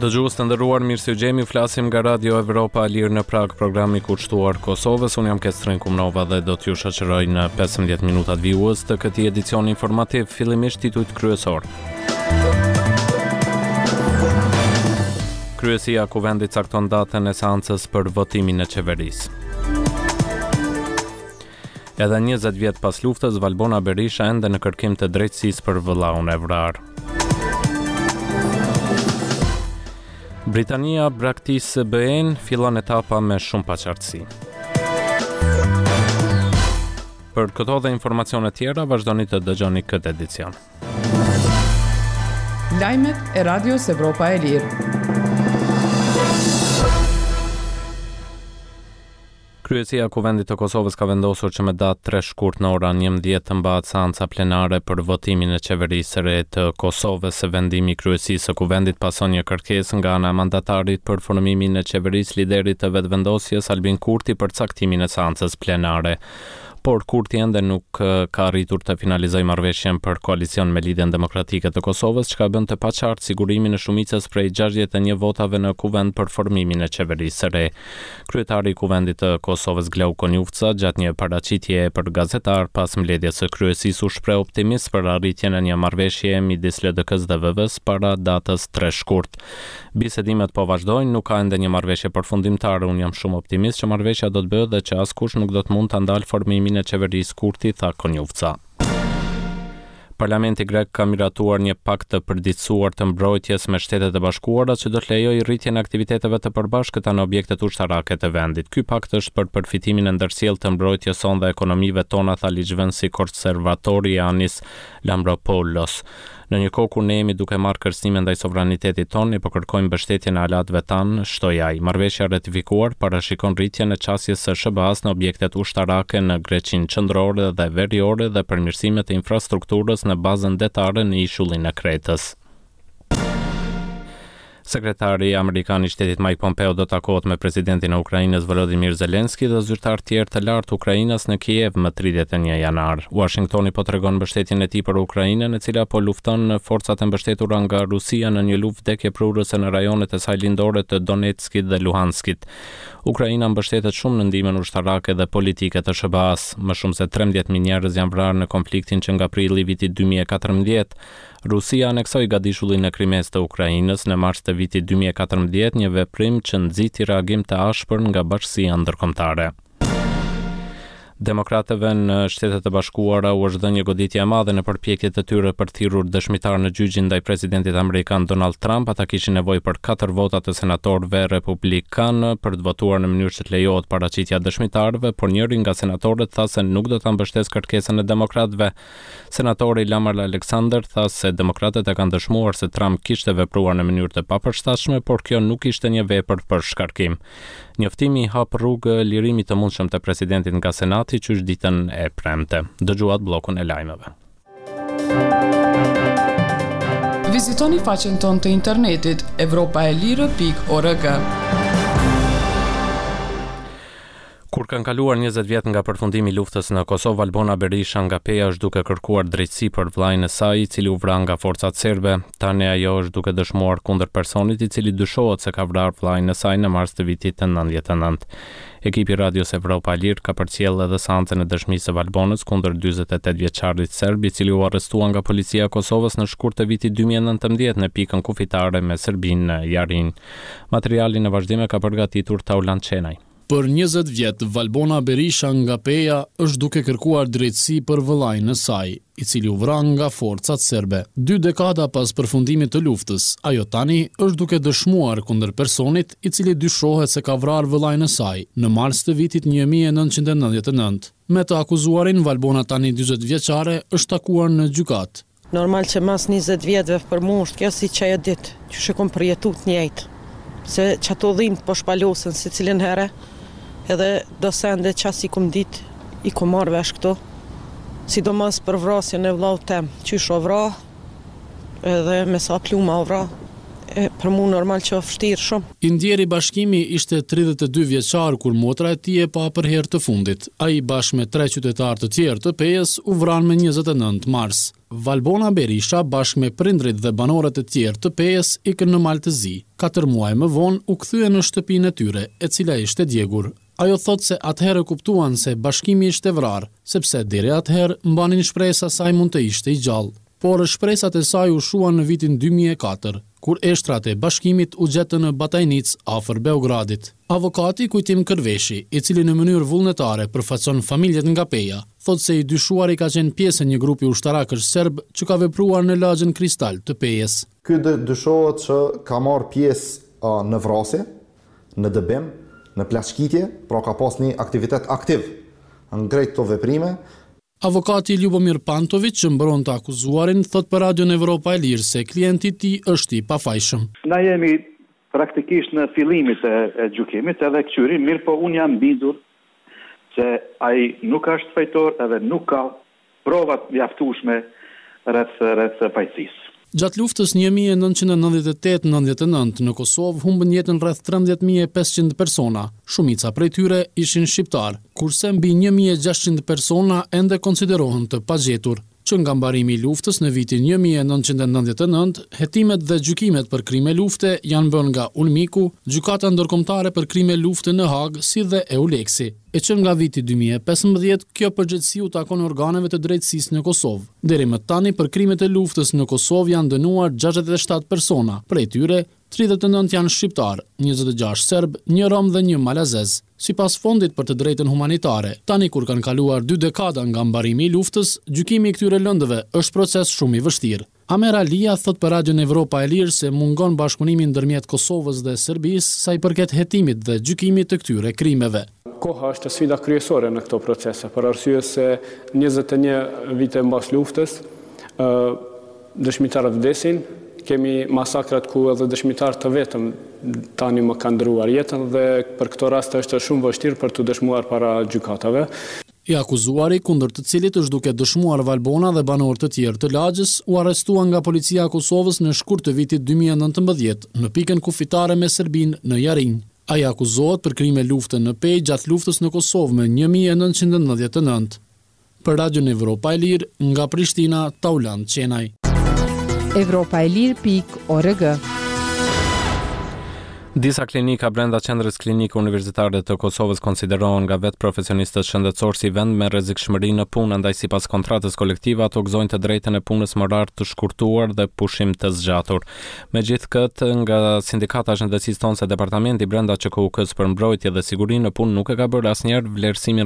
Dëgjues të nderuar, mirë se ju gjejmë, ju flasim nga Radio Evropa e Lirë në Pragë, programi kushtuar Kosovës. Unë jam Kestrin Kumnova dhe do t'ju shoqëroj në 15 minutat vijues të këtij edicioni informativ, fillimisht titujt kryesorë. Kryesia e Kuvendit cakton datën e seancës për votimin e qeverisë. Edhe 20 vjet pas luftës, Valbona Berisha ende në kërkim të drejtësisë për vëllaun e vrarë. Britania braktis BE-në, fillon etapa me shumë paqartësi. Për këto dhe informacione tjera, vazhdoni të dëgjoni këtë edicion. Lajmet e Radios Evropa e Lirë. Kryesia e Kuvendit të Kosovës ka vendosur që me datë 3 shkurt në ora 11 të mbahet seanca plenare për votimin e qeverisë së re të Kosovës. Vendimi i Kryesisë së Kuvendit pason një kërkesë nga ana e mandatarit për formimin e qeverisë liderit të Vetëvendosjes Albin Kurti për caktimin e seancës plenare. Por Kurti ende nuk ka arritur të finalizojë marrëveshjen për koalicion me Lidhjen Demokratike të Kosovës, çka e bën të paqartë sigurimin e shumicës prej 61 votave në Kuvend për formimin e qeverisë së re. Kryetari i Kuvendit të Kosovës Glauk Konjufca gjatë një paraqitjeje për gazetarë pas mbledhjes së kryesisë u shpreh optimist për arritjen e një marrëveshjeje midis LDK-së dhe VV-së para datës 3 shkurt. Bisedimet po vazhdojnë, nuk ka ende një marrëveshje përfundimtare, unë jam shumë optimist që marrëveshja do të bëhet dhe që askush nuk do të mund ta ndalë formimin e qeverisë Kurti, tha Konjufca. Parlamenti grek ka miratuar një pakt të përditësuar të mbrojtjes me Shtetet e Bashkuara që do të lejojë rritjen e aktiviteteve të përbashkëta në objektet ushtarake të vendit. Ky pakt është për përfitimin e ndërsjellë të mbrojtjes sonë dhe ekonomive tona, tha ligjvënësi konservator Janis Lambropoulos. Në një kohë kur ne jemi duke marrë kërcënime ndaj sovranitetit tonë, ne po kërkojmë mbështetjen e aleatëve tanë, shtoi ai. Marrëveshja e ratifikuar parashikon rritjen e qasjes së SHBA-së në objektet ushtarake në Greqinë qendrore dhe veriore dhe përmirësime të infrastrukturës në bazën detare në ishullin e Kretës. Sekretari amerikan i Shtetit Mike Pompeo do të takohet me presidentin e Ukrainës Volodymyr Zelensky dhe zyrtarë tjerë të lartë ukrainas në Kiev më 31 janar. Uashingtoni po tregon mbështetjen e tij për Ukrainën, e cila po lufton forcat e mbështetura nga Rusia në një luftë vdekjeprurëse në rajonet e saj lindore të Donetskit dhe Luhanskit. Ukraina mbështetet shumë në ndihmën ushtarake dhe politike të SHBA-së. Më shumë se 13.000 njerëz janë vrarë në konfliktin që nga prilli i vitit 2014. Rusia aneksoi gadishullin e Krimesë të Ukrainës në mars të vitit 2014, një veprim që nxiti reagim të ashpër nga bashkësia ndërkombëtare. Demokratëve në Shtetet e Bashkuara u është dhënë një goditje e madhe në përpjekjet e tyre për të thirrur dëshmitarë në gjyqin ndaj presidentit amerikan Donald Trump. Ata kishin nevojë për katër vota të senatorëve republikanë për të votuar në mënyrë që të lejohet paraqitja e dëshmitarëve, por njëri nga senatorët tha se nuk do ta mbështesë kërkesën e demokratëve. Senatori Lamar Alexander tha se demokratët e kanë dëshmuar se Trump kishte vepruar në mënyrë të papërshtatshme, por kjo nuk ishte një vepër për shkarkim. Njoftimi i hap rrugë lirimit të mundshëm të presidentit nga Senati qysh ditën e premte. Dëgjuat bllokun e lajmeve. Vizitoni faqen tonë të internetit evropaelire.org. Kur kanë kaluar 20 vjet nga përfundimi i luftës në Kosovë, Valbona Berisha nga Peja është duke kërkuar drejtësi për vëllain e saj, i cili u vra nga forcat serbe. Tani ajo është duke dëshmuar kundër personit i cili dyshohet se ka vrarë vëllain e saj në mars të vitit 99. Ekipi i Radios Evropa e Lirë ka përcjellë edhe seancën e dëshmisë së Valbonës kundër 48 vjeçarit serb, i cili u arrestua nga policia e Kosovës në shkurt të vitit 2019 në pikën kufitare me Serbinë në Jarinjë. Materialin në vazhdim e ka përgatitur Taulant Qenaj. Për 20 vjet, Valbona Berisha nga Peja është duke kërkuar drejtësi për vëllain e saj, i cili u vra nga forcat serbe. Dy dekada pas përfundimit të luftës, ajo tani është duke dëshmuar kundër personit, i cili dyshohet se ka vrarë vëllain e saj në mars të vitit 1999. Me të akuzuarin, Valbona tani 40 vjeçare është takuar në gjykatë. Normal që mas 20 vjetëve për mu është kjo si qajo ditë, që e kom përjetu të njëjtë, se qato dhimt po shpalosen secilën herë, edhe do sende që s'i kom dit, i kom marrë vesh këto, sidomos për vrasjen e vllaut tem, qysh o vra, edhe me sa pluma o vra. E për mu normal që është vështirë shumë. I ndjeri Bashkimi ishte 32 vjeçar kur motra e tij e pa për herë të fundit. Ai bashkë me tre qytetarë të tjerë të Pejës u vranë më 29 mars. Valbona Berisha bashkë me prindërit dhe banorët e tjerë të Pejës ikën në Mal të Zi. Katër muaj më vonë u kthyen në shtëpinë e tyre, e cila ishte djegur. Ajo thotë se atëherë kuptuan se Bashkimi ishte vrarë, sepse deri atëherë mbanin shpresa se ai mund të ishte i gjallë. Por shpresat e saj u shuan në vitin 2004, kur eshtrat e Bashkimit u gjetën në Batajnicë afër Beogradit. Avokati Kujtim Kërveshi, i cili në mënyrë vullnetare përfaqëson familjet nga Peja, thotë se i dyshuari ka qenë pjesë e një grupi ushtarakësh serb që ka vepruar në lagjen Kristal të Pejës. Ky dyshohet që ka marrë pjesë në vrasje, në dëbim, në plaçkitje, pra ka pas një aktivitet aktiv në krejt këto veprime. Avokati Ljubomir Pantoviq që mbron të akuzuarin, thotë për Radion Evropa e Lirë se klienti i tij është i pafajshëm. Na jemi praktikisht në fillimit e, e gjykimit edhe këqyrim, mirëpo unë jam bindur se ai nuk është fajtor edhe nuk ka prova të mjaftueshme rreth rreth fajësisë. Gjatë luftës 1998-99 në Kosovë humbën jetën rreth 13.500 persona, shumica prej tyre ishin shqiptar, kurse mbi 1.600 persona ende konsiderohen të pagjetur. Që nga mbarimi i luftës në vitin 1999, hetimet dhe gjykimet për krime lufte janë bërë nga UNMIK-u, Gjykata Ndërkombëtare për Krime Lufte në Hagë, si dhe EULEX-i. E që nga viti 2015, kjo përgjegjësi u takon organeve të drejtësisë në Kosovë. Deri më tani për krimet e luftës në Kosovë janë dënuar 67 persona, prej tyre 39 janë shqiptar, 26 serb, një rom dhe një malazez. Sipas Fondit për të Drejtën Humanitare, tani kur kanë kaluar dy dekada nga mbarimi i luftës, gjykimi i këtyre lëndëve është proces shumë i vështirë. Amer Alia thot për Radion Evropa e Lirë se mungon bashkëpunimi ndërmjet Kosovës dhe Serbisë sa i përket hetimit dhe gjykimit të këtyre krimeve. Koha është sfida kryesore në këto procese, për arsye se 21 vite mbas luftës, dëshmitarët vdesin, kemi masakrat ku edhe dëshmitarë të vetëm tani më kanë ndërruar jetën dhe për këto raste është shumë vështirë për të dëshmuar para gjykatave. I akuzuari, kundër të cilit është duke dëshmuar Valbona dhe banorë të tjerë të lagjes, u arrestua nga policia e Kosovës në shkurt të vitit 2019 në pikën kufitare me Serbinë në Jarinj. Ai akuzohet për krime lufte në Pejë gjatë luftës në Kosovë më 1999. Për Radion Evropa e Lirë, nga Prishtina, Taulant Qenaj. Evropa e Lirë pikë org. Disa klinika brenda qendrës klinike universitare të Kosovës konsiderohen nga vetë profesionistët shëndetësor si vend me rrezikshmëri në punë, andaj sipas kontratës kolektive ato gëzojnë të drejtën e punës me orar të shkurtuar dhe pushim të zgjatur. Megjithëkëtë, nga Sindikata e Shëndetësisë thonë se departamenti brenda QKUK-së për mbrojtje dhe siguri në punë nuk e ka bërë asnjëherë vlerësimin.